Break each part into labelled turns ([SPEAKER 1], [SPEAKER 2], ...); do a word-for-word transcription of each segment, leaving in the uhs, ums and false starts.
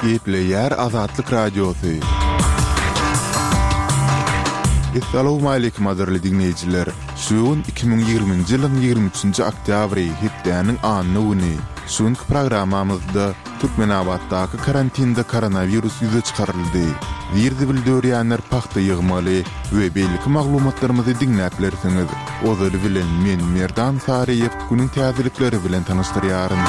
[SPEAKER 1] Gepleýär Azatlyk Radiosy. Essalawmaleýkim gadyrly diňleýjiler! Şu gün iki müň ýigriminji ýylyň ýigrimi üçünji oktýabry, hepdäniň anna güni. Şu günki programmamyzda Türkmenabatdaky karantinde koronawirus ýüze çykaryldy. Zir-zibil dörýänler pagta ýygmaly we beýleki maglumatlarymyzy diňläp bilersiňiz. Ozaly bilen men Merdan Saryýew günüň täzelikleri bilen tanyşdyrýaryn.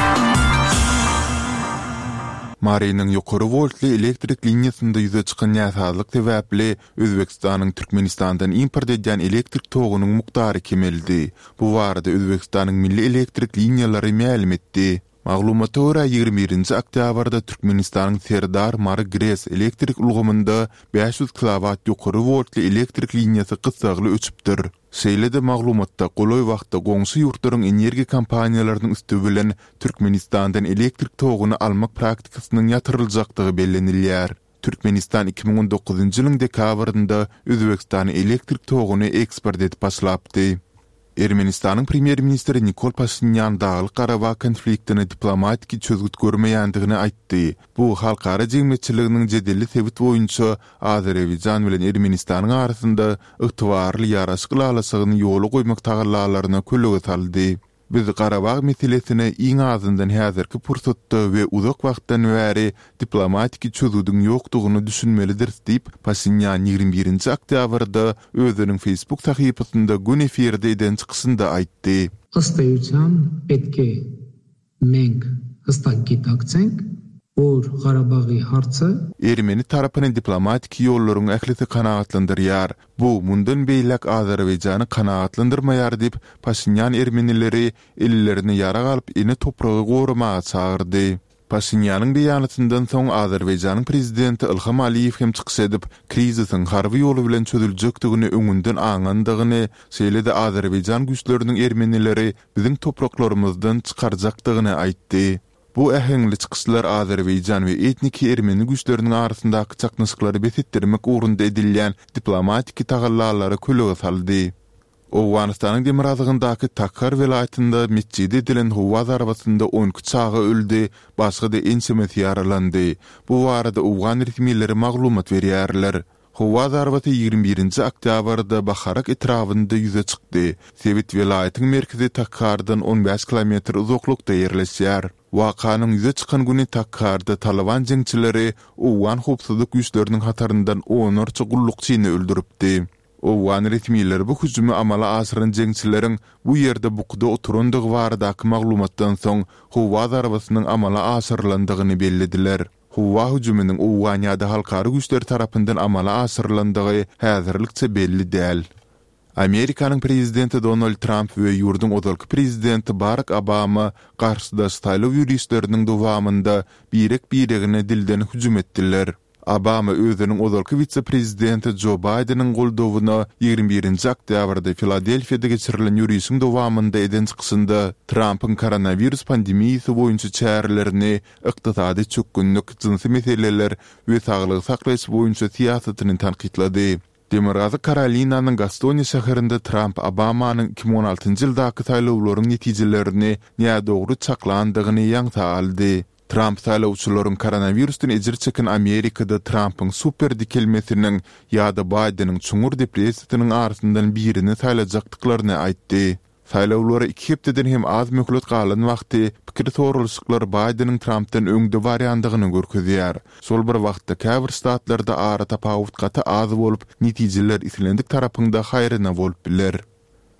[SPEAKER 1] Marynyň ýokary woltly elektrik liniýasynda ýüze çykan näsazlyk sebäpli Özbegistanyň Türkmenistandan import edýän elektrik togunyň mukdary kemeldi. Bu barada Özbegistanyň Milli elektrik liniýalary mälim etdi. Maglumata görä, ýigrimi birinji oktýabrda Türkmenistanyň Serdar, Mary GRES elektrik ulgamynda bäş ýüz kilowat ýokary woltly elektrik liniýasy gyssagly öçüpdir. Şeýle-de maglumatda golaý wagtda goňşy ýurtlaryň energiýa kompaniýalarynyň üsti bilen Türkmenistandan elektrik toguny almak praktikasynyň ýatyryljakdygy bellenilýär. Türkmenistan iki müň on dokuzynjy ýylyň dekabrynda Özbegistana elektrik toguny eksport edip başlapdy. Ermenistanyň premýer-ministri Nikol Paşinýan Daglyk-Garabag konfliktine diplomatiki çözgüt görmeýändigini aýtdy. Bu halkara jemgyýetçiliginiň jedelli sebit boýunça Azerbaýjan bilen Ermenistanyň arasynda ygtybarly ýaraşyk ylalaşygyny ýola goýmak tagallalaryna kölege saldy. Biz Garabag meselesine iň azyndan häzirki pursatda we uzak wagtdan bäri diplomatiki çözgüdiň ýokdugyna düşünmelidiris diýip, Paşinýan ýigrimi birinji oktýabrda özüniň Facebook sahypasynda göni efirde eden çykyşynda aýtdy.
[SPEAKER 2] Ysd äýutýan պետք է մենք հստակ գիտակցենք, որ Ղարաբաղի հարցը
[SPEAKER 1] Ermeni tarapyny diplomatiki ýollaryň ählisi kanagatlandyrýar. Bu mundan beýläk Azerbaýjany kanagatlandyrmaýar diýip, Paşinýan ermenileri ellerine ýarag alyp ene topragy goramaga çagyrdy. Paşinýanyň beýanatyndan soň Azerbaýjanyň prezidenti Ilham Aliýew hem çykyş edip, krizisiň harby ýoly bilen çözüljekdigini öňünden aňandygyny, şeýle-de Azerbaýjan güýçleriniň ermenileri biziň topraklarymyzdan çykarjakdygyny aýtdy. Bu äheňli çykyşlar Azerbaýjan we etniki ermeni güýçleriniň arasyndaky çaknyşyklary bes etdirmek ugrunda edilýän diplomatiki tagallalara kölege saldy. Owganystanyň demirgazygyndaky Takhar welaýatynda metjide edilen howa zarbasynda on iki çaga öldi, başga-da ençemesi ýaralandy. Bu barada owgan resmileri maglumat berýärler. Howa zarbasy ýigrimi birinji oktýabrda Baharak etrabynda ýüze çykdy. Sebit welaýatyň merkezi Takhardan on bäş kilometr uzaklykda ýerleşýär. Wakanyň ýüze çykan güni Takharda Talyban jeňçileri owgan howpsuzlyk güýçleriniň hataryndan onlarça gullukçyny öldüripdi. Owgan resmileri bu hüjümi amala aşyran jeňçileriň bu ýerde bukuda oturandygy baradaky maglumatdan soň howa zarbasynyň amala aşyrylandygyny bellediler. Howa hüjüminiň owgan ýa-da halkara güýçleri tarapyndan amala aşyrylandygy häzirlikçe belli däl. Amerikanyň prezidenti Donald Tramp we ýurduň ozalky prezidenti Barak Obama garşydaş saýlaw ýörişleriniň dowamynda birek-biregine dilden hüjüm etdiler. Obama özüniň ozalky wise-prezidenti Jo Baýdeniň goldawyna ýigrimi birinji oktýabrda Filadelfiýada geçirilen ýörişiň dowamynda eden çykyşynda Trampyň koronawirus pandemiýasy boýunça çärelerini, ykdysady çökgünlik, jynsy meseleler we saglygy saklaýyş boýunça syýasatyny tankytlady. Demirgazyk Karolinanyň Gastoniýa şäherinde Tramp Obamanyň iki müň on altynjy ýyldaky saýlawlaryň netijelerini nädogry çaklandygyny ýaňsa aldy. Tramp saýlawçylaryň koronawirusdan ejir çeken Amerikada Trampyň super dikelmesiniň ýa-da Baýdeniň çuňňur depressiýasynyň arasyndan birini saýlajakdyklaryny aýtdy. Saýlawlara iki hepdeden hem az möhlet galan wagty pikir soralyşyklar Baýdeniň Trampdan öňde barýandygyny görkezýär. Şol bir wagtda käbir ştatlarda aratapawut gaty az bolup, netijeler islendik tarapyň-da haýryna bolup biler.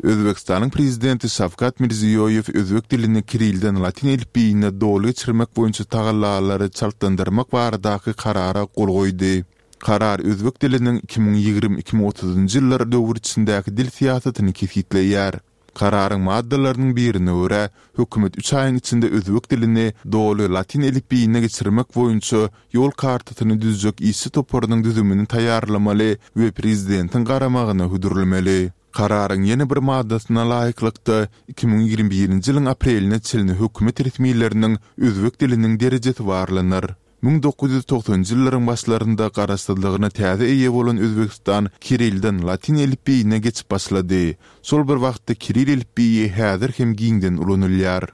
[SPEAKER 1] Özbegistanyň prezidenti Şawkat Mirziýoýew özbek dilini kirilden latyn elipbiýine doly geçirmek boýunça tagallalary çaltlandyrmak baradaky karara gol goýdy. Karar özbek diliniň iki müň ýigrimi iki müň otuzynjy ýyllar döwür içindäki dil syýasatyny kesgitleýär. Kararyň maddalarynyň birine görä, hökümet üç aýyň içinde özbek dilini doly latyn elipbiýine geçirmek boýunça ýol kartasyny düzjek işçi toparynyň düzümini taýýarlamaly we prezidentiň garamagyna hödürlemeli. Kararyň ýene bir maddasyna laýyklykda, iki müň ýigrimi birinji ýylyň apreline çenli hökümet resmileriniň özbek diliniň derejesi barlanar. Müň dokuz ýüz togsanjy ýyllaryň başlarynda garaşsyzlygyna täze eýe bolan Özbegistan kirilden latyn elipbiýine geçip başlady. Şol bir wagtda kiril elipbiýi häzir hem giňden ulanylýar.